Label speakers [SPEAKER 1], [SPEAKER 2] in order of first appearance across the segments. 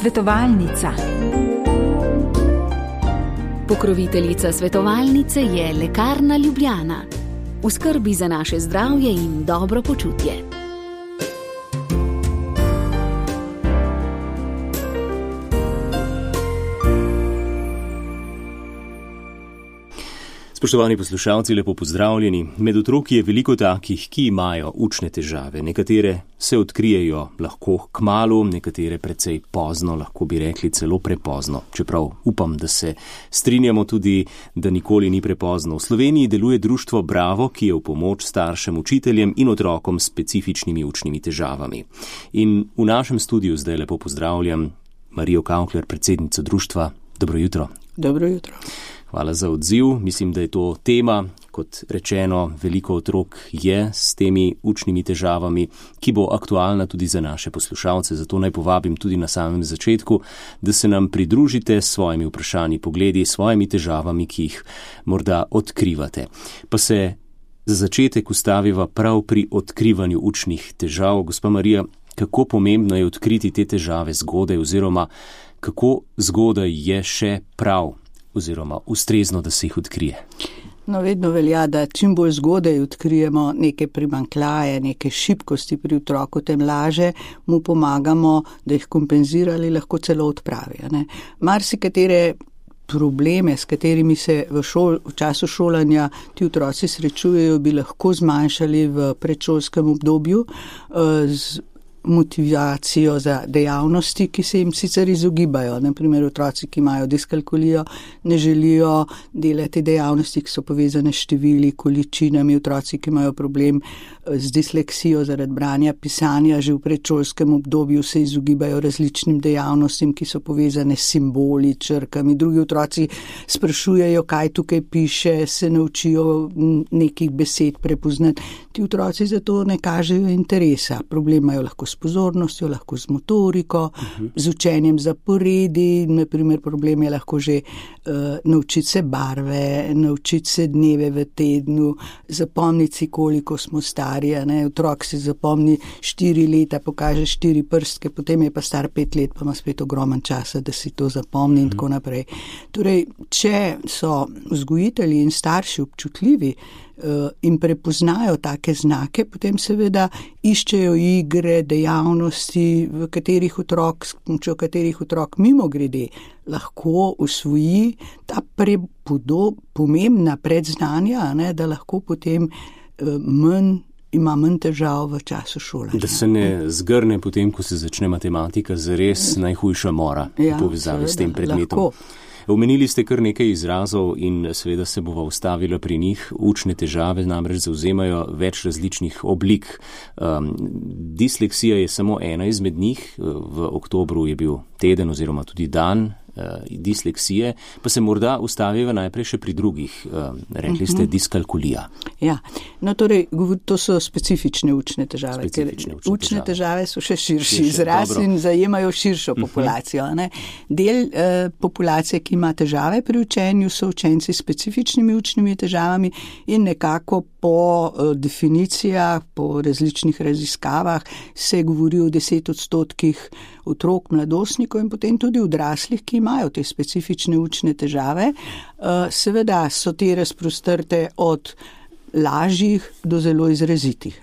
[SPEAKER 1] Svetovalnica.
[SPEAKER 2] Pokroviteljica svetovalnice je Lekarna Ljubljana. V skrbi za naše zdravje in dobro počutje.
[SPEAKER 3] Spoštovani poslušalci, lepo pozdravljeni. Med otroki je veliko takih, ki imajo učne težave. Nekatere se odkrijejo lahko kmalu, nekatere precej pozno, lahko bi rekli celo prepozno. Čeprav upam, da se strinjamo tudi, da nikoli ni prepozno. V Sloveniji deluje društvo Bravo, ki je v pomoč staršem, učiteljem in otrokom s specifičnimi učnimi težavami. In v našem studiu zdaj lepo pozdravljam Marijo Kaukler, predsednico društva. Dobro jutro.
[SPEAKER 4] Dobro jutro.
[SPEAKER 3] Hvala za odziv. Mislim, da je to tema, kot rečeno, veliko otrok je s temi učnimi težavami, ki bo aktualna tudi za naše poslušalce. Zato naj povabim tudi na samem začetku, da se nam pridružite s svojimi vprašanji, pogledi, s svojimi težavami, ki jih morda odkrivate. Pa se za začetek ustaviva prav pri odkrivanju učnih težav. Gospa Marija, kako pomembno je odkriti te težave zgodaj oziroma kako zgodaj je še prav oziroma ustrezno, da se jih odkrije?
[SPEAKER 4] No, vedno velja, da čim bolj zgodaj odkrijemo neke primanjkljaje, neke šibkosti pri otroku, tem laže mu pomagamo, da jih kompenzirali, lahko celo odpravijo. Marsikatere probleme, s katerimi se v času šolanja ti otroci srečujejo, bi lahko zmanjšali v predšolskem obdobju z motivacijo za dejavnosti, ki se jim sicer izogibajo. Naprimer, otroci, ki imajo diskalkulijo, ne želijo delati dejavnosti, ki so povezane s števili, količinami. Otroci, ki imajo problem z disleksijo zaradi branja, pisanja, že v predšolskem obdobju se izogibajo različnim dejavnostim, ki so povezane s simboli, črkami. Drugi otroci sprašujejo, kaj tukaj piše, se naučijo nekih besed prepoznati. Ti otroci zato ne kažejo interesa. Problem imajo lahko s pozornostjo, lahko z motoriko, z učenjem zaporedi. Naprimer, problem je lahko že naučiti se barve, naučiti se dneve v tednu, zapomniti si, koliko smo stari. Otrok si zapomni 4 leta, pokaže 4 prstke, potem je pa star 5 let, pa ima spet ogromen časa, da si to zapomni in tako naprej. Torej, če so vzgojitelji in starši občutljivi in prepoznajo take znake, potem seveda iščejo igre, dejavnosti, v katerih otrok mimogrede lahko usvoji ta pomembna predznanja, da lahko potem ima manj težav v času šolanja.
[SPEAKER 3] Da se ne zgrne potem, ko se začne matematika, zares najhujša mora v povezavi s tem predmetom.
[SPEAKER 4] Lahko.
[SPEAKER 3] Omenili ste kar nekaj izrazov in seveda se bova ustavila pri njih. Učne težave namreč zavzemajo več različnih oblik. Disleksija je samo ena izmed njih. V oktobru je bil teden oziroma tudi dan disleksije, pa se morda ustaviva najprej še pri drugih. Rekli ste diskalkulija.
[SPEAKER 4] Ja, no torej, to so specifične učne težave. Učne težave so še širši izraz in zajemajo širšo populacijo. Del populacije, ki ima težave pri učenju, so učenci s specifičnimi učnimi težavami in nekako po definicijah, po različnih raziskavah se govori o 10% otrok, mladostnikov in potem tudi odraslih, ki imajo te specifične učne težave. Seveda so te razprostrte od lažjih do zelo izrazitih.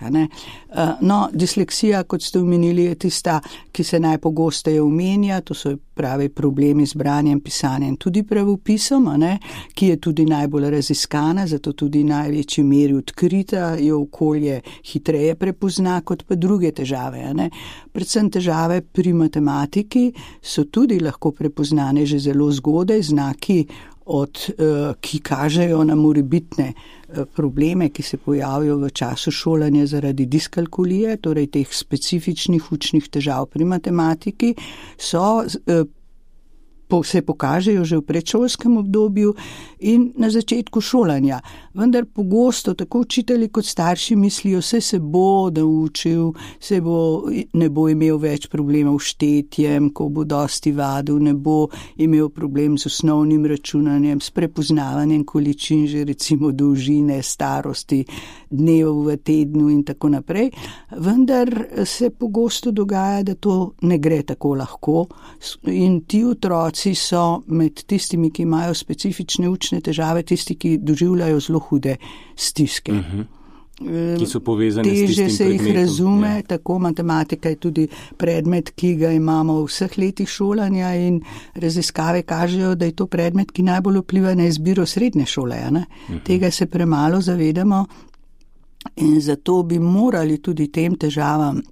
[SPEAKER 4] No, disleksija, kot ste omenili, je tista, ki se najpogosteje omenja, to so pravi problemi z branjem, pisanjem, tudi pravopisom, ki je tudi najbolj raziskana, zato tudi največji meri odkrita, jo okolje hitreje prepozna kot pa druge težave. Predvsem težave pri matematiki so tudi lahko prepoznane že zelo zgodaj, znaki ki kažejo na morebitne probleme, ki se pojavijo v času šolanja zaradi diskalkulije, torej teh specifičnih učnih težav pri matematiki, so se pokažejo že v predšolskem obdobju in na začetku šolanja. Vendar pogosto tako učitelji kot starši mislijo, se bo naučil, ne bo imel več problemov s štetjem, ko bo dosti vadil, ne bo imel problem z osnovnim računanjem, s prepoznavanjem količin, že recimo dolžine, starosti, dnev v tednu in tako naprej. Vendar se pogosto dogaja, da to ne gre tako lahko in ti otroci so med tistimi, ki imajo specifične učne težave, tisti, ki doživljajo zelo hude stiske.
[SPEAKER 3] Ki so povezane s tistim predmetom.
[SPEAKER 4] Teže se jih razume, tako matematika je tudi predmet, ki ga imamo v vseh letih šolanja in raziskave kažejo, da je to predmet, ki najbolj vpliva na izbiro srednje šole. Tega se premalo zavedamo. In zato bi morali tudi tem težavam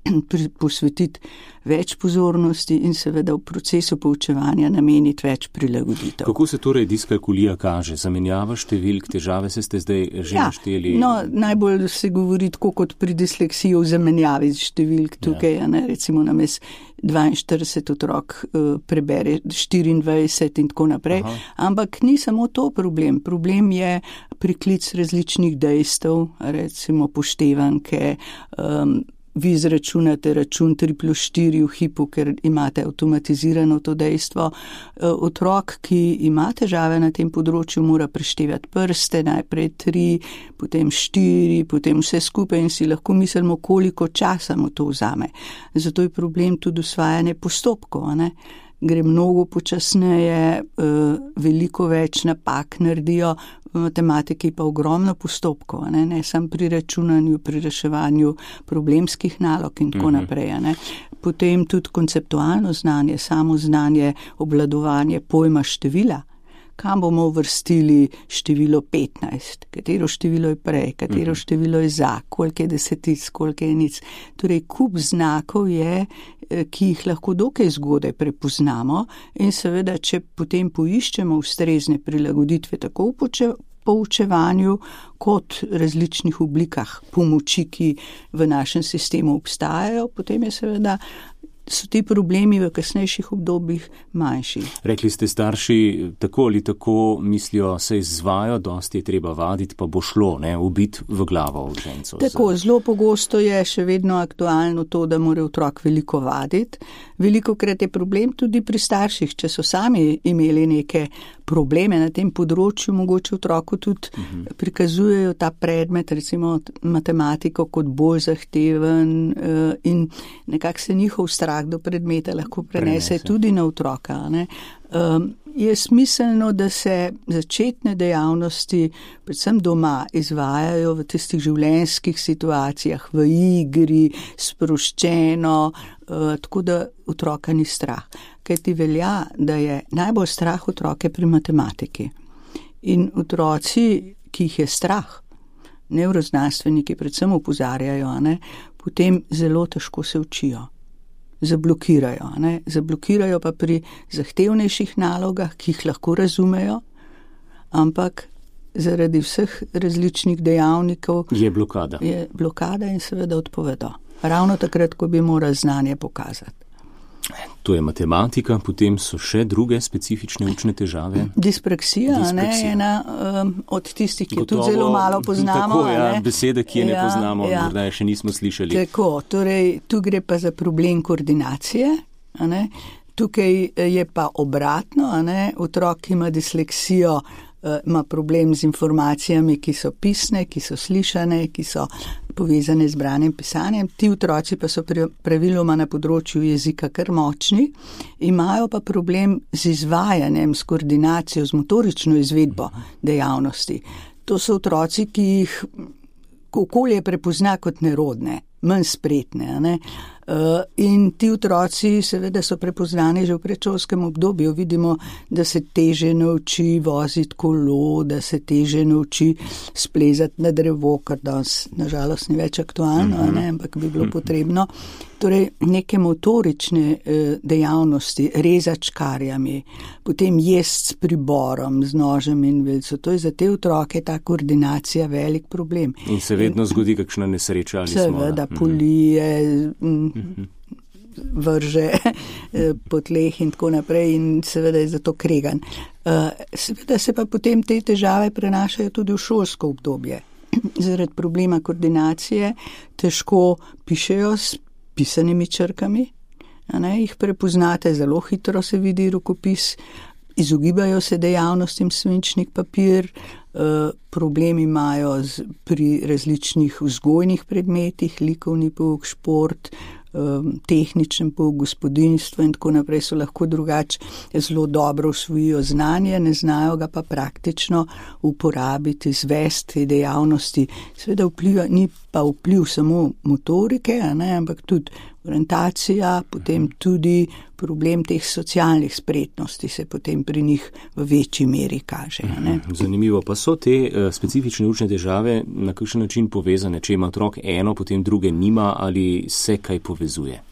[SPEAKER 4] posvetiti več pozornosti in seveda v procesu poučevanja nameniti več prilagoditev.
[SPEAKER 3] Kako se torej diskalkulija kaže? Zamenjava številk, težave ste zdaj že našteli?
[SPEAKER 4] Najbolj se govori tako kot pri disleksiji o zamenjavi številk tukaj, recimo namesto 42 otrok prebere 24 in tako naprej. Ampak ni samo to problem. Problem je priklic različnih dejstev, recimo poštevanke, vi izračunate račun 3+4 v hipu, ker imate avtomatizirano to dejstvo. Otrok, ki ima težave na tem področju, mora preštevati prste, najprej 3, potem 4, potem vse skupaj in si lahko mislimo, koliko časa mu to vzame. Zato je problem tudi usvajanje postopkov, Gre mnogo počasneje, veliko več napak naredijo, v matematiki pa ogromno postopkov, ne samo pri računanju, pri reševanju problemskih nalog in tako naprej. Potem tudi konceptualno znanje, samo znanje, obvladovanje pojma števila. Kam bomo uvrstili število 15, katero število je prej, katero število je za, koliko je desetic, koliko je enic. Torej, kup znakov je, ki jih lahko dokaj zgodaj prepoznamo in seveda, če potem poiščemo ustrezne prilagoditve tako v poučevanju kot različnih oblikah pomoči, ki v našem sistemu obstajajo, potem je seveda so ti problemi v kasnejših obdobjih manjši.
[SPEAKER 3] Rekli ste, starši tako ali tako mislijo, se izvajo, dosti je treba vaditi, pa bo šlo, ubiti v glavo učencev.
[SPEAKER 4] Tako, zelo pogosto je še vedno aktualno to, da mora otrok veliko vaditi. Velikokrat je problem tudi pri starših, če so sami imeli neke probleme na tem področju, mogoče otroku tudi prikazujejo ta predmet, recimo matematiko, kot bolj zahteven in nekako se njihov strah do predmeta lahko prenese tudi na otroka. Je smiselno, da se začetne dejavnosti, predvsem doma, izvajajo v tistih življenjskih situacijah, v igri, sproščeno, tako da otroka ni strah. Kaj ti velja, da je najbolj strah otroke pri matematiki. In otroci, ki jih je strah, nevroznanstveniki predvsem opozarjajo, potem zelo težko se učijo. Zablokirajo pa pri zahtevnejših nalogah, ki jih lahko razumejo, ampak zaradi vseh različnih dejavnikov
[SPEAKER 3] je blokada
[SPEAKER 4] in seveda odpovedo. Ravno takrat, ko bi morali znanje pokazati.
[SPEAKER 3] To je matematika, potem so še druge specifične učne težave.
[SPEAKER 4] Dispraksija. Je ena od tistih, ki jo tudi zelo malo poznamo.
[SPEAKER 3] Tako, besede, ki je ne poznamo, morda še nismo slišali.
[SPEAKER 4] Tako, torej tu gre pa za problem koordinacije. Tukaj je pa obratno, otrok, ki ima disleksijo, ima problem z informacijami, ki so pisne, ki so slišane, ki so povezane z branjem, pisanjem. Ti otroci pa so praviloma na področju jezika kar močni, imajo pa problem z izvajanjem, s koordinacijo, z motorično izvedbo dejavnosti. To so otroci, ki jih okolje prepozna kot nerodne, manj spretne. In ti otroci seveda so prepoznani že v predšolskem obdobju. Vidimo, da se teže nauči voziti kolo, da se teže nauči splezati na drevo, kar danes nažalost ni več aktualno, ampak bi bilo potrebno. Torej, neke motorične dejavnosti, rezati škarjami, potem jesti s priborom, z nožem in vejico. To je za te otroke ta koordinacija velik problem.
[SPEAKER 3] In se vedno zgodi kakšna nesreča ali
[SPEAKER 4] seveda polije, vrže po tleh in tako naprej in seveda je zato kregan. Seveda se pa potem te težave prenašajo tudi v šolsko obdobje. Zaradi problema koordinacije težko pišejo s pisanimi črkami, jih prepoznate, zelo hitro se vidi rokopis, izogibajo se dejavnostim svinčnik papir, problemi imajo pri različnih vzgojnih predmetih, likovni pouk, šport, tehničen pouk, gospodinjstvo in tako naprej so lahko drugače zelo dobro usvojijo znanje, ne znajo ga pa praktično uporabiti, izvesti dejavnosti. Seveda ni pa vpliv samo motorike, ampak tudi orientacija, potem tudi problem teh socialnih spretnosti se potem pri njih v večji meri kaže.
[SPEAKER 3] Zanimivo, pa so te specifične učne težave na kakšen način povezane, če ima otrok eno, potem druge nima ali se kaj povezuje?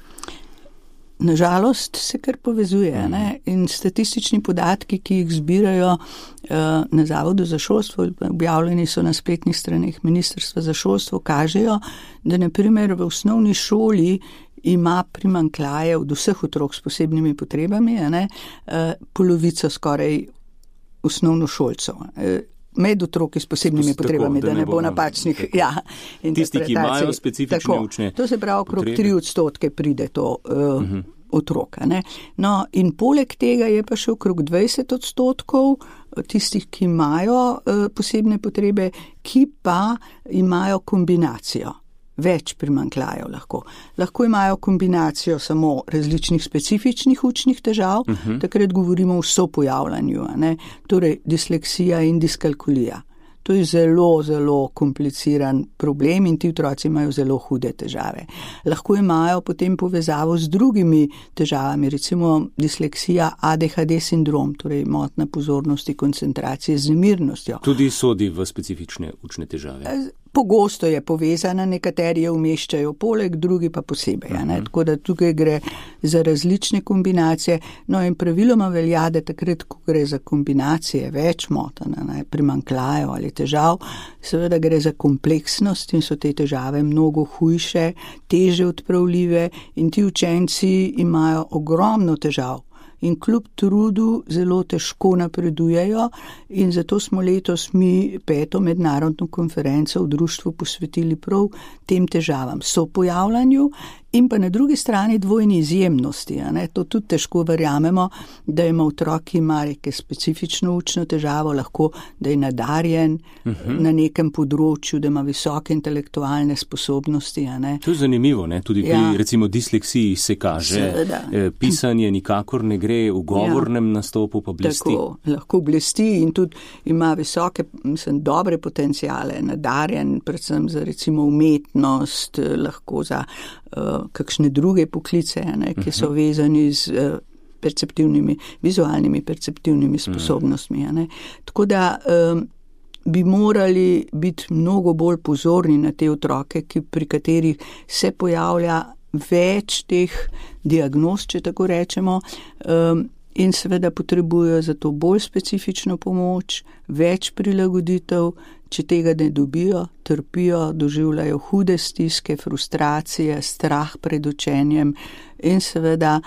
[SPEAKER 4] Nažalost se kar povezuje in statistični podatki, ki jih zbirajo na Zavodu za šolstvo, objavljeni so na spletnih straneh Ministrstva za šolstvo, kažejo, da na primer v osnovni šoli ima primanjkljaje od vseh otrok s posebnimi potrebami, polovico skoraj osnovnošolcev. Med otroki s posebnimi potrebami, da ne bo napačnih interpretacij.
[SPEAKER 3] Tisti, ki imajo specifične učne.
[SPEAKER 4] To se pravi, okrog 3% pride to otroka. No, in poleg tega je pa še okrog 20% tistih, ki imajo posebne potrebe, ki pa imajo kombinacijo. Več primanjkljajev lahko. Lahko imajo kombinacijo samo različnih specifičnih učnih težav, takrat govorimo o sopojavljanju, torej disleksija in diskalkulija. To je zelo, zelo kompliciran problem in ti otroci imajo zelo hude težave. Lahko imajo potem povezavo z drugimi težavami, recimo disleksija, ADHD sindrom, torej motnja pozornosti, koncentracije z nemirnostjo.
[SPEAKER 3] Tudi sodi v specifične učne težave.
[SPEAKER 4] Pogosto je povezana, nekateri jo umeščajo poleg, drugi pa posebej. Tako da tukaj gre za različne kombinacije. No in praviloma velja, da takrat, ko gre za kombinacije več motenj, primanjkljajev ali težav, seveda gre za kompleksnost in so te težave mnogo hujše, teže odpravljive in ti učenci imajo ogromno težav. In kljub trudu zelo težko napredujejo in zato smo letos mi 5. mednarodno konferenco v društvu posvetili prav tem težavam, sopojavljanju in pa na drugi strani dvojni izjemnosti. To tudi težko verjamemo, da ima otrok, ki ima neke specifično učno težavo, lahko, da je nadarjen na nekem področju, da ima visoke intelektualne sposobnosti.
[SPEAKER 3] To je zanimivo, tudi pri recimo disleksiji se kaže, pisanje nikakor ne gre, v govornem nastopu pa blesti.
[SPEAKER 4] Tako, lahko blesti in tudi ima visoke, dobre potencijale, nadarjen, predvsem za recimo umetnost, lahko za kakšne druge poklice, ki so vezani z vizualnimi perceptivnimi sposobnostmi. Tako da bi morali biti mnogo bolj pozorni na te otroke, pri katerih se pojavlja več teh diagnoz, če tako rečemo, in seveda potrebujejo za to bolj specifično pomoč, več prilagoditev. Če tega ne dobijo, trpijo, doživljajo hude stiske, frustracije, strah pred učenjem in seveda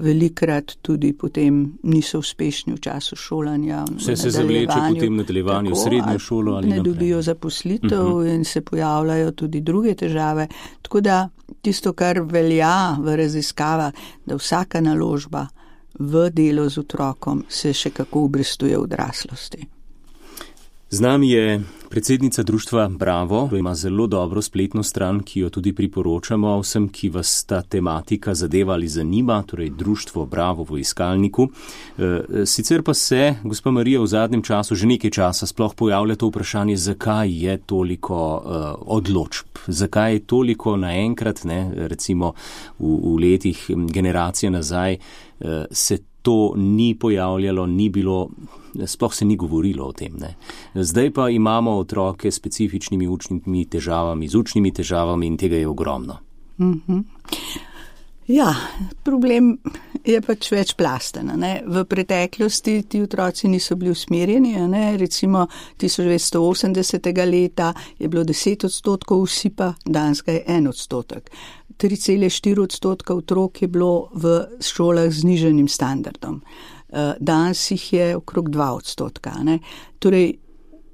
[SPEAKER 4] velikrat tudi potem niso uspešni v času šolanja.
[SPEAKER 3] Vse se zavleče potem nadaljevanju v srednjo šolo ali
[SPEAKER 4] ne dobijo zaposlitev in se pojavljajo tudi druge težave. Tako da tisto, kar velja v raziskavah, da vsaka naložba v delo z otrokom se še kako obrestuje v odraslosti.
[SPEAKER 3] Z nami je predsednica društva Bravo, ki ima zelo dobro spletno stran, ki jo tudi priporočamo vsem, ki vas ta tematika zadeva ali zanima, torej društvo Bravo v iskalniku. Sicer pa se, gospa Marija, v zadnjem času, že nekaj časa sploh pojavlja to vprašanje, zakaj je toliko odločb, zakaj je toliko naenkrat, recimo v letih generacije nazaj, se to ni pojavljalo, ni bilo, sploh se ni govorilo o tem. Zdaj pa imamo otroke s specifičnimi učnimi težavami, z učnimi težavami in tega je ogromno.
[SPEAKER 4] Ja, problem je pač večplasten. V preteklosti ti otroci niso bili usmerjeni. Recimo 1980. leta je bilo 10% usipa, danes ga je 1%. 3,4% otrok je bilo v šolah z znižanim standardom. Danes jih je okrog 2%. Torej,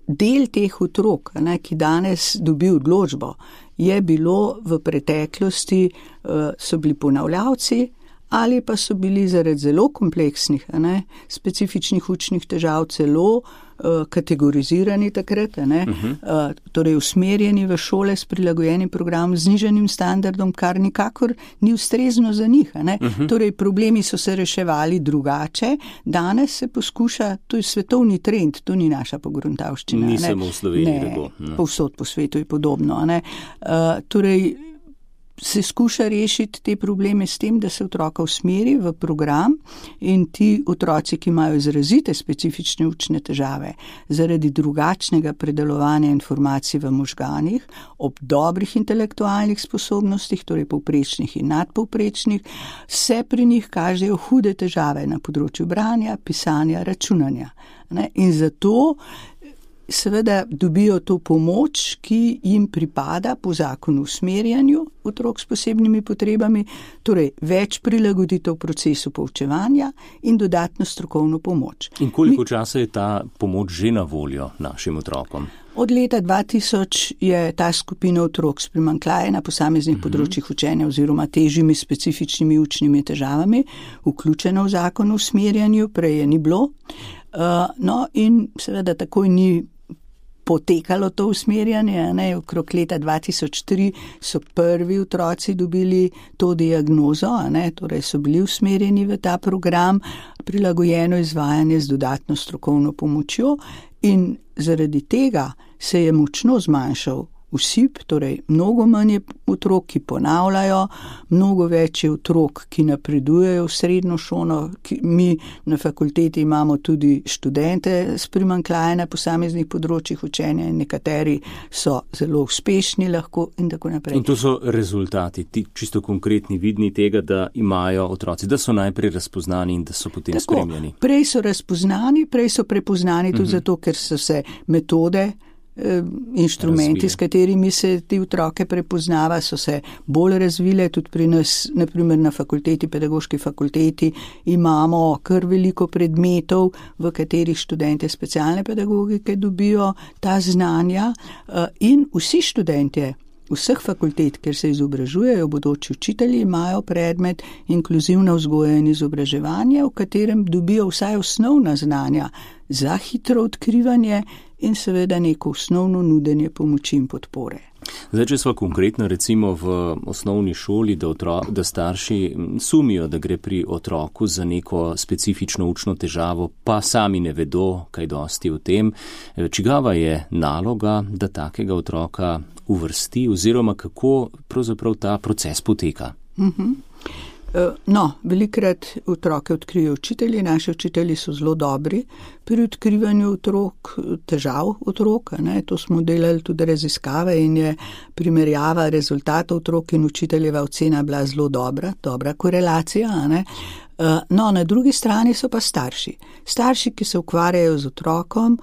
[SPEAKER 4] del teh otrok, ki danes dobi odločbo, je bilo v preteklosti, so bili ponavljavci ali pa so bili zaradi zelo kompleksnih, specifičnih učnih težav celo kategorizirani takrat, torej usmerjeni v šole s prilagojenim programom z znižanim standardom, kar nikakor ni ustrezno za njih. Torej problemi so se reševali drugače, danes se poskuša, to je svetovni trend, to ni naša pogruntavščina.
[SPEAKER 3] Ni samo v Sloveniji.
[SPEAKER 4] Povsod po svetu je podobno. Torej se skuša rešiti te probleme s tem, da se otroka usmeri v program in ti otroci, ki imajo izrazite specifične učne težave zaradi drugačnega predelovanja informacij v možganih, ob dobrih intelektualnih sposobnostih, torej povprečnih in nadpovprečnih, se pri njih kažejo hude težave na področju branja, pisanja, računanja. In zato seveda dobijo to pomoč, ki jim pripada po zakonu o usmerjanju otrok s posebnimi potrebami, torej več prilagoditev procesu poučevanja in dodatno strokovno pomoč.
[SPEAKER 3] In koliko časa je ta pomoč že na voljo našim otrokom?
[SPEAKER 4] Od leta 2000 je ta skupina otrok s primanjkljajem na posameznih področjih učenja oziroma težjimi specifičnimi učnimi težavami vključena v zakon o usmerjanju, prej je ni bilo. No in seveda takoj ni potekalo to usmerjanje. Okrog leta 2003 so prvi otroci dobili to diagnozo, torej so bili usmerjeni v ta program, prilagojeno izvajanje z dodatno strokovno pomočjo in zaradi tega se je močno zmanjšal usip, torej mnogo manj je otrok, ki ponavljajo, mnogo več je otrok, ki napredujejo v srednjo šolo. Mi na fakulteti imamo tudi študente s primanjkljajem na posameznih področjih učenja in nekateri so zelo uspešni lahko in tako naprej.
[SPEAKER 3] In to so rezultati, ti čisto konkretni, vidni tega, da imajo otroci, da so najprej razpoznani in da so potem spremljani.
[SPEAKER 4] Prej so razpoznani, prej so prepoznani tudi zato, ker so se metode, inštrumenti, s katerimi se ti otroke prepoznava, so se bolj razvile. Tudi pri nas, naprimer na fakulteti, pedagoški fakulteti, imamo kar veliko predmetov, v katerih študente specialne pedagogike dobijo ta znanja in vsi študentje vseh fakultet, kjer se izobražujejo bodoči učitelji, imajo predmet inkluzivna vzgoja in izobraževanje, v katerem dobijo vsaj osnovna znanja za hitro odkrivanje in seveda neko osnovno nudenje pomoči in podpore.
[SPEAKER 3] Zdaj, če smo konkretno recimo v osnovni šoli, da starši sumijo, da gre pri otroku za neko specifično učno težavo, pa sami ne vedo kaj dosti o tem, čigava je naloga, da takega otroka uvrsti oziroma kako pravzaprav ta proces poteka?
[SPEAKER 4] Velikrat otroke odkrijejo učitelji, naši učitelji so zelo dobri pri odkrivanju težav otrok, to smo delali tudi raziskave in je primerjava rezultatov otrok in učiteljeva ocena bila zelo dobra korelacija, na drugi strani so pa starši, ki se ukvarjajo z otrokom,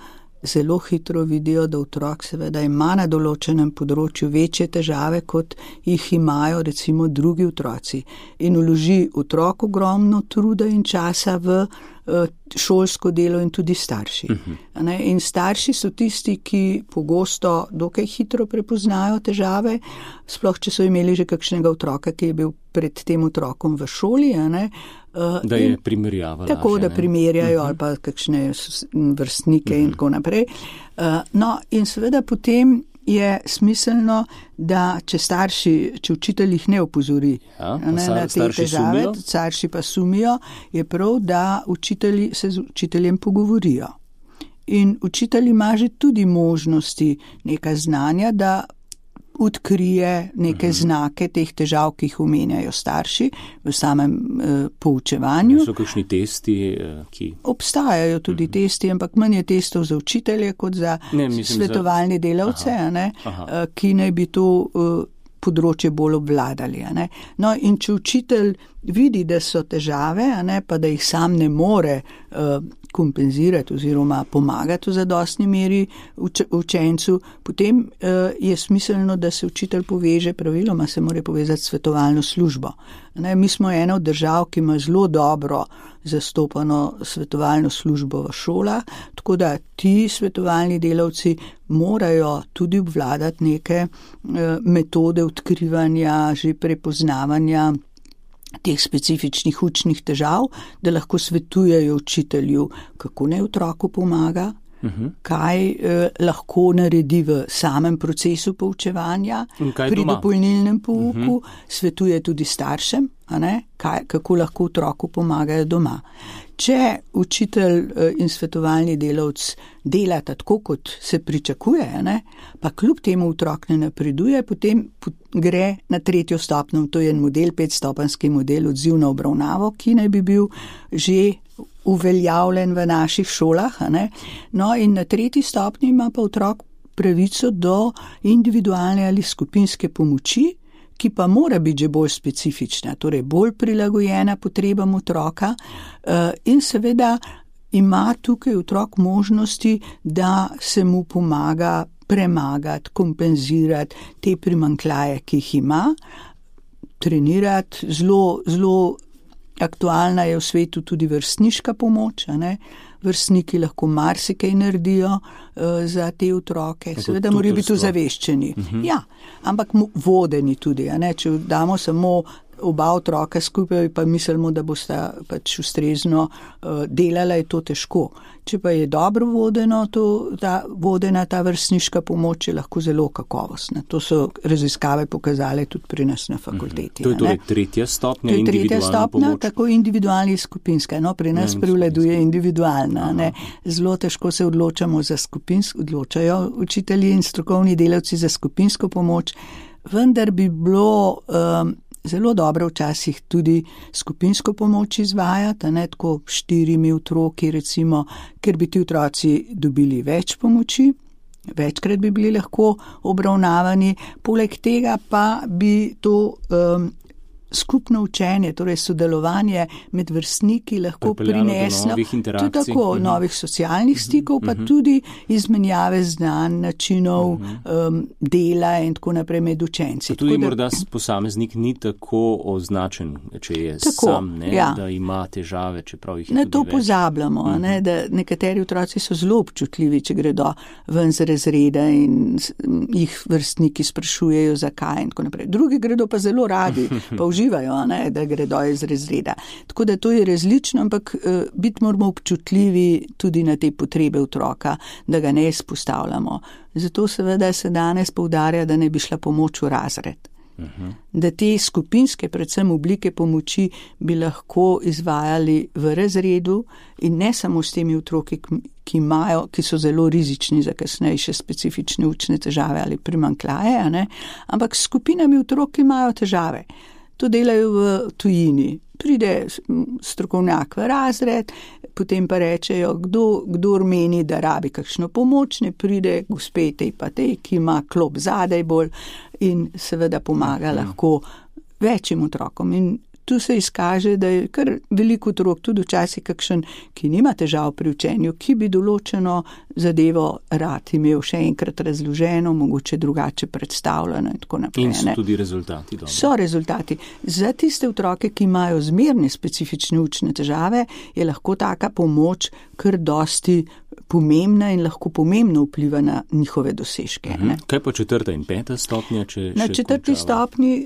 [SPEAKER 4] zelo hitro vidijo, da otrok seveda ima na določenem področju večje težave, kot jih imajo recimo drugi otroci. In vloži otrok ogromno truda in časa v šolsko delo in tudi starši. In starši so tisti, ki pogosto dokaj hitro prepoznajo težave, sploh če so imeli že kakšnega otroka, ki je bil pred tem otrokom v šoli,
[SPEAKER 3] da je primerjava
[SPEAKER 4] tako, da primerjajo ali pa kakšne vrstnike in tako naprej. In seveda potem je smiselno, da če učitelj jih ne opozori na te težave, starši pa sumijo, je prav, da učitelji se z učiteljem pogovorijo. In učitelj ima že tudi možnosti neka znanja, da odkrije neke znake teh težav, ki jih omenjajo starši v samem poučevanju.
[SPEAKER 3] So kakšni testi, ki...
[SPEAKER 4] Obstajajo tudi testi, ampak manj je testov za učitelje kot za svetovalne delavce, ki naj bi to področje bolj obvladali. No, in če učitelj vidi, da so težave, pa da jih sam ne more kompenzirati oziroma pomagati v zadostni meri učencu, potem je smiselno, da se učitelj poveže, praviloma se mora povezati s svetovalno službo. Mi smo ena od držav, ki ima zelo dobro zastopano svetovalno službo v šolah, tako da ti svetovalni delavci morajo tudi obvladati neke metode odkrivanja, že prepoznavanja teh specifičnih učnih težav, da lahko svetujejo učitelju, kako naj otroku pomaga, kaj lahko naredi v samem procesu poučevanja, pri dopolnilnem pouku, svetuje tudi staršem, kako lahko otroku pomagajo doma. Če učitelj in svetovalni delavc delata tako, kot se pričakuje, pa kljub temu otrok ne napreduje, potem gre na 3. stopnjo, to je en model, 5-stopenjski model odziv na obravnavo, ki naj bi bil že uveljavljen v naših šolah. No in na 3. stopnji ima pa otrok pravico do individualne ali skupinske pomoči, ki pa mora biti že bolj specifična, torej bolj prilagojena potrebam otroka in seveda ima tukaj otrok možnosti, da se mu pomaga premagati, kompenzirati te primanjkljaje, ki jih ima, trenirati. Zelo aktualna je v svetu tudi vrstniška pomoč, vrstniki lahko marsikaj naredijo za te otroke, seveda morajo biti ozaveščeni. Ja, ampak vodeni tudi, če damo samo oba otroka skupaj, pa mislimo, da bosta pač ustrezno delala, je to težko. Če pa je dobro vodena ta vrstniška pomoč, je lahko zelo kakovostna. To so raziskave pokazale tudi pri nas na fakulteti.
[SPEAKER 3] To je torej 3. stopnja, individualna pomoč?
[SPEAKER 4] Tako individualna in skupinska. Pri nas prevladuje individualna. Zelo težko se odločamo za skupinsko, odločajo učitelji in strokovni delavci za skupinsko pomoč, vendar bi bilo zelo dobro včasih tudi skupinsko pomoč izvajati, tako 4 otroki recimo, ker bi ti otroci dobili več pomoči, večkrat bi bili lahko obravnavani, poleg tega pa bi to skupno učenje, torej sodelovanje med vrstniki lahko prineslo tudi tako novih socialnih stikov, pa tudi izmenjave znanj, načinov dela in tako naprej med učenci.
[SPEAKER 3] Tudi morda posameznik ni tako označen, če je sam, da ima težave, čeprav jih je tudi več.
[SPEAKER 4] Na to pozabljamo, da nekateri otroci so zelo občutljivi, če gredo ven z razreda in jih vrstniki sprašujejo, zakaj in tako naprej. Drugi gredo pa zelo radi, pa uživajo, da gredo iz razreda. Tako da to je različno, ampak biti moramo občutljivi tudi na te potrebe otroka, da ga ne izpostavljamo. Zato seveda se danes poudarja, da ne bi šla pomoč v razred. Da te skupinske, predvsem oblike pomoči, bi lahko izvajali v razredu in ne samo s temi otroki, ki so zelo rizični za kasnejše specifične učne težave ali primanjkljaje, ampak s skupinami otrok, ki imajo težave. To delajo v tujini. Pride strokovnjak v razred, potem pa rečejo, kdor meni, da rabi kakšno pomoč, ne pride gospe tej pa tej, ki ima klop zadaj bolj in seveda pomaga lahko večjim otrokom. In tu se izkaže, da je kar veliko otrok, tudi včasih kakšen, ki nima težav pri učenju, ki bi določeno zadevo rad imel še enkrat razloženo, mogoče drugače predstavljeno in tako naprej.
[SPEAKER 3] In so tudi rezultati dobro.
[SPEAKER 4] So rezultati. Za tiste otroke, ki imajo zmerne specifične učne težave, je lahko taka pomoč kar dosti pomembna in lahko pomembno vpliva na njihove dosežke.
[SPEAKER 3] Kaj pa 4. in 5. stopnja?
[SPEAKER 4] Na 4. stopnji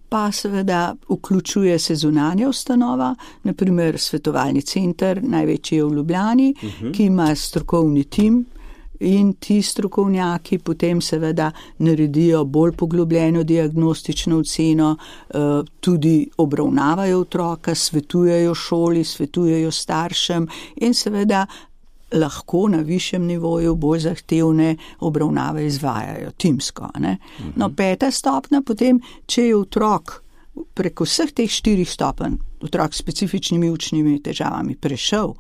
[SPEAKER 4] pa seveda vključuje se zunanja ustanova, naprimer svetovalni center, največji je v Ljubljani, ki ima strokovni tim in ti strokovnjaki potem seveda naredijo bolj poglobljeno diagnostično oceno, tudi obravnavajo otroka, svetujejo šoli, svetujejo staršem in seveda lahko na višjem nivoju bolj zahtevne obravnave izvajajo timsko. No, 5. stopnja potem, če je otrok preko vseh teh 4 stopenj, otrok s specifičnimi učnimi težavami prešel,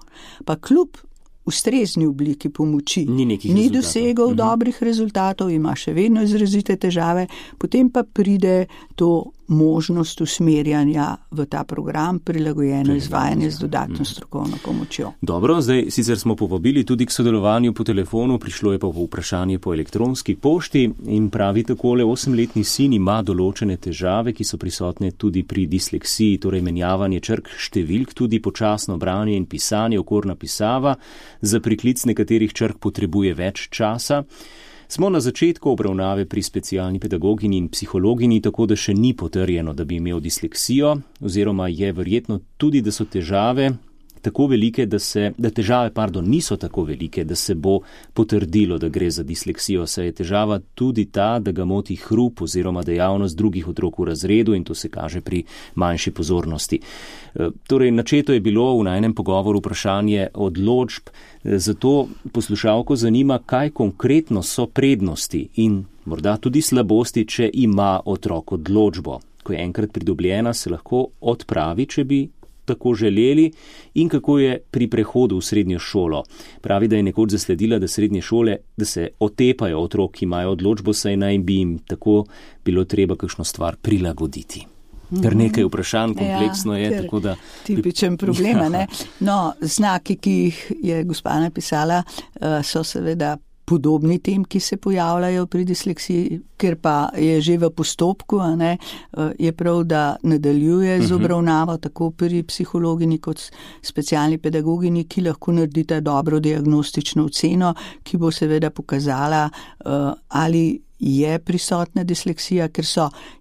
[SPEAKER 4] pa kljub ustrezni obliki pomoči
[SPEAKER 3] ni
[SPEAKER 4] dosegal dobrih rezultatov, ima še vedno izrazite težave, potem pa pride to možnost usmerjanja v ta program, prilagojeno izvajanje z dodatno strokovno pomočjo.
[SPEAKER 3] Dobro, zdaj sicer smo povabili tudi k sodelovanju po telefonu, prišlo je pa vprašanje po elektronski pošti in pravi takole, 8-letni sin ima določene težave, ki so prisotne tudi pri disleksiji, torej menjavanje črk, številk, tudi počasno branje in pisanje, okorna pisava, za priklic nekaterih črk potrebuje več časa. Smo na začetku obravnave pri specialni pedagogini in psihologini, tako da še ni potrjeno, da bi imel disleksijo, oziroma je verjetno tudi, da so težave tako velike, niso tako velike, da se bo potrdilo, da gre za disleksijo, saj je težava tudi ta, da ga moti hrup oziroma dejavnost drugih otrok v razredu in to se kaže pri manjši pozornosti. Torej, načeto je bilo v najnem pogovoru vprašanje odločb, zato poslušalko zanima, kaj konkretno so prednosti in morda tudi slabosti, če ima otrok odločbo. Ko je enkrat pridobljena, se lahko odpravi, če bi tako želeli, in kako je pri prehodu v srednjo šolo. Pravi, da je nekoč zasledila, da srednje šole, da se otepajo otrok, ki imajo odločbo, saj naj bi jim tako bilo treba kakšno stvar prilagoditi. Ker nekaj vprašanj kompleksno je, tako da...
[SPEAKER 4] Tipičen problem, ne? No, znaki, ki jih je gospa napisala, so seveda podobni tem, ki se pojavljajo pri disleksiji, ker pa je že v postopku, je prav, da nadaljuje z obravnavo tako pri psihologini kot specialni pedagogini, ki lahko naredita dobro diagnostično oceno, ki bo seveda pokazala, ali je prisotna disleksija, ker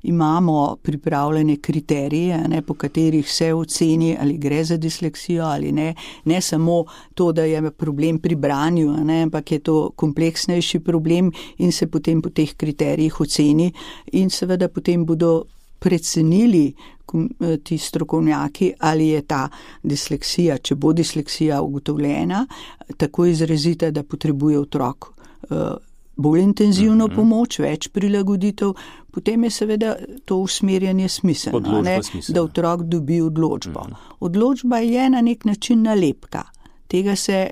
[SPEAKER 4] imamo pripravljene kriterije, po katerih se oceni, ali gre za disleksijo ali ne. Ne samo to, da je problem pri branju, ampak je to kompleksnejši problem in se potem po teh kriterijih oceni in seveda potem bodo precenili ti strokovnjaki, ali je ta disleksija, če bo disleksija ugotovljena, tako izrazita, da potrebuje otrok bolj intenzivno pomoč, več prilagoditev, potem je seveda to usmerjanje smiselno, da otrok dobi odločbo. Odločba je na nek način nalepka. Tega se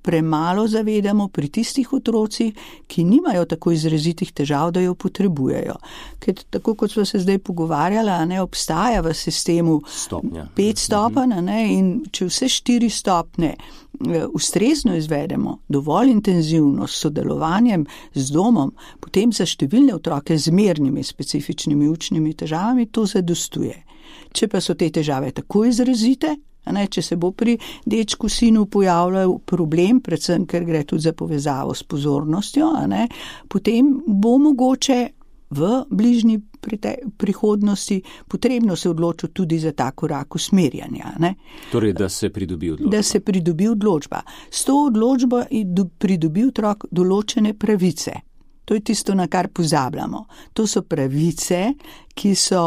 [SPEAKER 4] premalo zavedamo pri tistih otrocih, ki nimajo tako izrazitih težav, da jo potrebujejo. Ker tako kot smo se zdaj pogovarjali, obstaja v sistemu 5 stopenj in če vse 4 stopnje ustrezno izvedemo, dovolj intenzivno s sodelovanjem z domom, potem za številne otroke z zmernimi specifičnimi učnimi težavami to zadostuje. Če pa so te težave tako izrazite, če se bo pri dečku sinu pojavljal problem, predvsem ker gre tudi za povezavo s pozornostjo, potem bo mogoče v bližnji prihodnosti potrebno se odločiti tudi za ta korak usmerjanja.
[SPEAKER 3] Torej, da se pridobi odločba.
[SPEAKER 4] Da se pridobi odločba. S to odločbo pridobi otrok določene pravice. To je tisto, na kar pozabljamo. To so pravice, ki so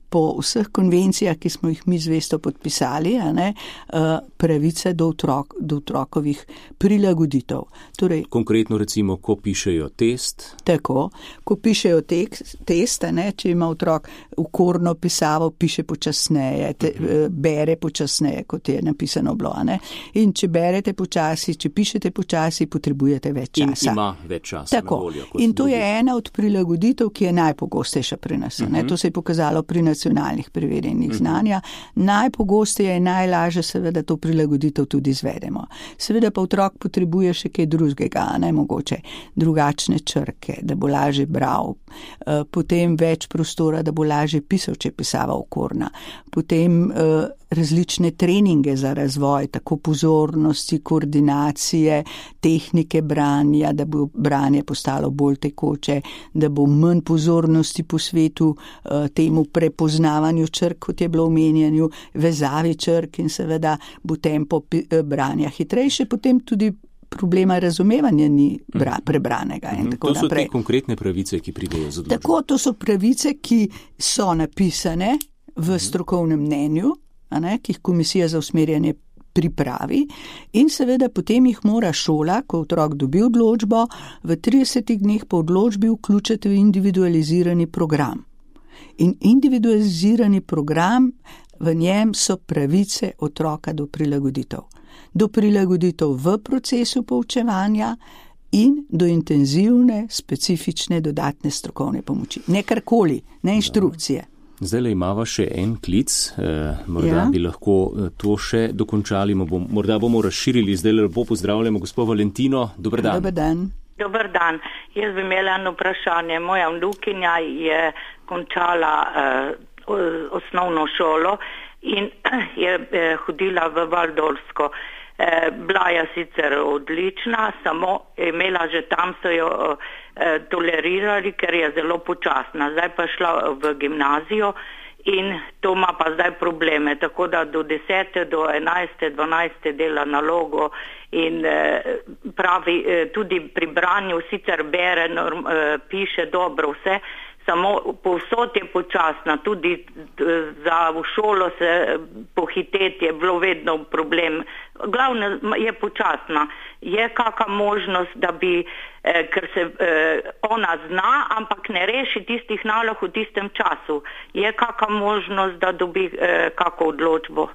[SPEAKER 4] po vseh konvencijah, ki smo jih mi zvesto podpisali, pravice do otrokovih prilagoditev. Torej,
[SPEAKER 3] konkretno recimo, ko pišejo test?
[SPEAKER 4] Tako, ko pišejo test, če ima otrok okorno pisavo, piše počasneje, bere počasneje, kot je napisano bilo. In če berete počasi, če pišete počasi, potrebujete več časa.
[SPEAKER 3] In ima več časa na voljo.
[SPEAKER 4] In to je ena od prilagoditev, ki je najpogostejša pri nas. To se je pokazalo pri nacionalnih preverjenih znanja. Najpogosteje in najlažje seveda to prilagoditev tudi izvedemo. Seveda pa otrok potrebuje še kaj drugega, mogoče drugačne črke, da bo lažje bral, potem več prostora, da bo lažje pisal, če je pisava okorna, potem različne treninge za razvoj, tako pozornosti, koordinacije, tehnike branja, da bo branje postalo bolj tekoče, da bo manj pozornosti po svetu temu prepoznavanju črk, kot je bilo omenjanju, vezavi črk in seveda bo tempo branja hitrejše, potem tudi problema razumevanja ni prebranega in tako naprej.
[SPEAKER 3] To so te konkretne pravice, ki pridejo z odločbo.
[SPEAKER 4] Tako, to so pravice, ki so napisane v strokovnem mnenju, ki jih komisija za usmerjanje pripravi in seveda potem jih mora šola, ko otrok dobi odločbo, v 30 dneh po odločbi vključiti v individualizirani program. In individualizirani program, v njem so pravice otroka do prilagoditev. do prilagoditev v procesu poučevanja in do intenzivne, specifične dodatne strokovne pomoči. Ne karkoli, ne inštrukcije.
[SPEAKER 3] Zdaj le imava še en klic, morda bi lahko to še dokončali, morda bomo razširili, zdaj lepo pozdravljamo gospod Valentino, dober dan.
[SPEAKER 4] Dober dan.
[SPEAKER 1] Dober dan, jaz bi imela eno vprašanje, moja vnukinja je končala osnovno šolo in je hodila v Valdorsko. Bila je sicer odlična, samo imela že tam so jo tolerirali, ker je zelo počasna. Zdaj pa šla v gimnazijo in to ima pa zdaj probleme, tako da do 10. do 11. 12. dela nalogo in pravi tudi pri branju sicer bere, piše dobro vse, samo povsod je počasna, tudi za v šolo se pohiteti je bilo vedno problem. Glavno je počasna. Je kakšna možnost, da bi, ker se ona zna, ampak ne reši tistih nalog v tistem času. Je kakšna možnost, da dobi kakšno odločbo?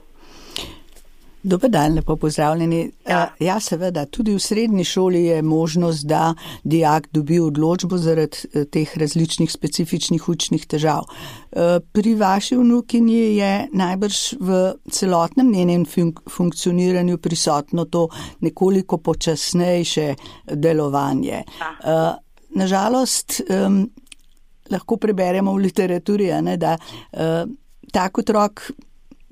[SPEAKER 4] Dober dan, lepo pozdravljeni. Ja, seveda, tudi v srednji šoli je možnost, da dijak dobi odločbo zaradi teh različnih specifičnih učnih težav. Pri vaši vnukinji je najbrž v celotnem njenem funkcioniranju prisotno to nekoliko počasnejše delovanje. Nažalost, lahko preberemo v literaturi, da tak otrok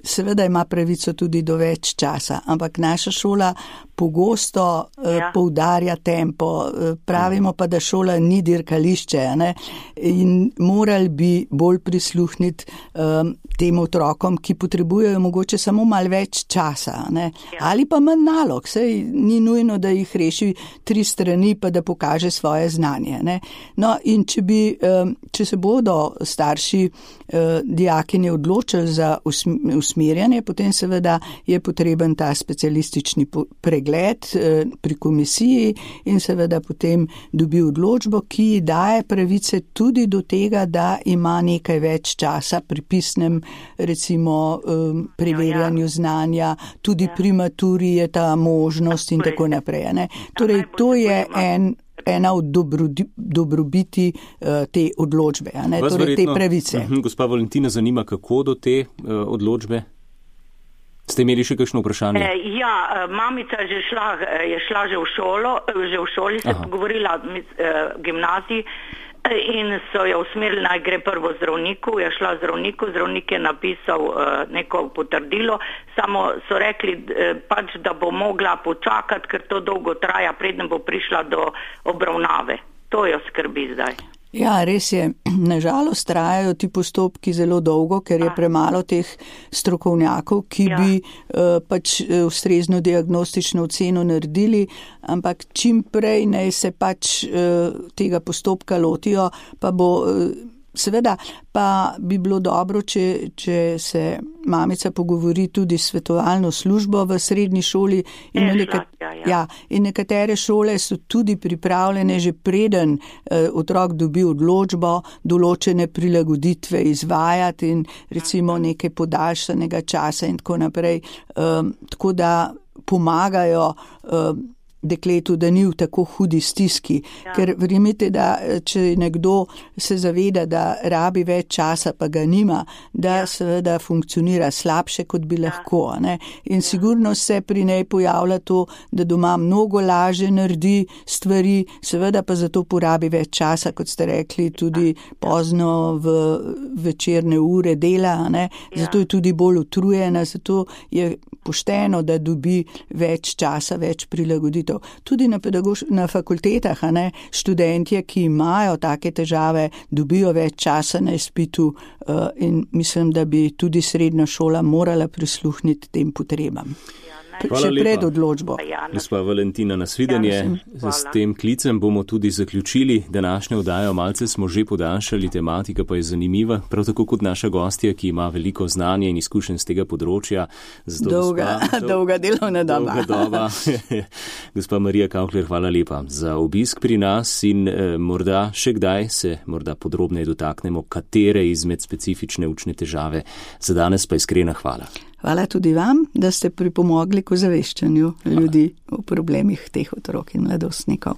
[SPEAKER 4] seveda ima pravico tudi do več časa, ampak naša šola pogosto poudarja tempo. Pravimo pa, da šola ni dirkališče, in morali bi bolj prisluhniti tem otrokom, ki potrebujejo mogoče samo malo več časa, ali pa manj nalog. Sej ni nujno, da jih reši 3 strani, pa da pokaže svoje znanje. No, in če se bodo starši dijakinje odločili za usmerjanje, potem seveda je potreben ta specialistični pregled pri komisiji in seveda potem dobi odločbo, ki daje pravice tudi do tega, da ima nekaj več časa pri pisnem, recimo, preverjanju znanja, tudi pri maturi je ta možnost in tako naprej. Torej, to je ena od dobrobiti te odločbe, torej te pravice.
[SPEAKER 3] Gospa Valentina, zanima, kako do te odločbe? Ste imeli še kakšno vprašanje?
[SPEAKER 1] Mamica je šla že v šoli, se pogovorila gimnaziji in so jo usmerili, naj gre prvo zdravniku, je šla zdravnik je napisal neko potrdilo, samo so rekli pač, da bo mogla počakati, ker to dolgo traja, preden bo prišla do obravnave. To jo skrbi zdaj.
[SPEAKER 4] Ja, res je. Nažalost trajajo ti postopki zelo dolgo, ker je premalo teh strokovnjakov, ki bi pač ustrezno diagnostično oceno naredili, ampak čim prej naj se pač tega postopka lotijo, pa bo seveda pa bi bilo dobro, če se mamica pogovori tudi s svetovalno službo v srednji šoli in nekatere šole so tudi pripravljene že preden otrok dobi odločbo, določene prilagoditve izvajati in recimo nekaj podaljšanega časa in tako naprej, tako da pomagajo dekletu, da ni v tako hudi stiski. Ker verjemite, da če nekdo se zaveda, da rabi več časa, pa ga nima, da seveda funkcionira slabše, kot bi lahko. In sigurno se pri njej pojavlja to, da doma mnogo lažje naredi stvari, seveda pa zato porabi več časa, kot ste rekli, tudi pozno v večerne ure dela, zato je tudi bolj utrujena, zato je pošteno, da dobi več časa, več prilagoditev. Tudi na fakultetah, študentje, ki imajo take težave, dobijo več časa na izpitu in mislim, da bi tudi srednja šola morala prisluhniti tem potrebam. Še pred odločbo.
[SPEAKER 3] Gospa Valentina, nasvidenje. S tem klicem bomo tudi zaključili današnjo oddajo. Malce smo že podaljšali, tematika pa je zanimiva, prav tako kot naša gostja, ki ima veliko znanja in izkušenj z tega področja.
[SPEAKER 4] Dolga delovna doba.
[SPEAKER 3] Gospa Marija Kaukler, hvala lepa za obisk pri nas in morda še kdaj se morda podrobneje dotaknemo, katere izmed specifične učne težave. Za danes pa iskrena hvala.
[SPEAKER 4] Hvala tudi vam, da ste pripomogli k ozaveščanju ljudi o problemih teh otrok in mladostnikov.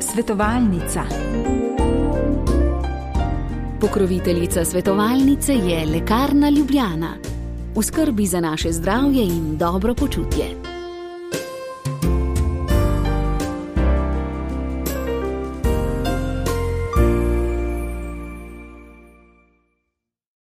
[SPEAKER 2] Svetovalnica. Pokroviteljica svetovalnice je Lekarna Ljubljana. V skrbi za naše zdravje in dobro počutje.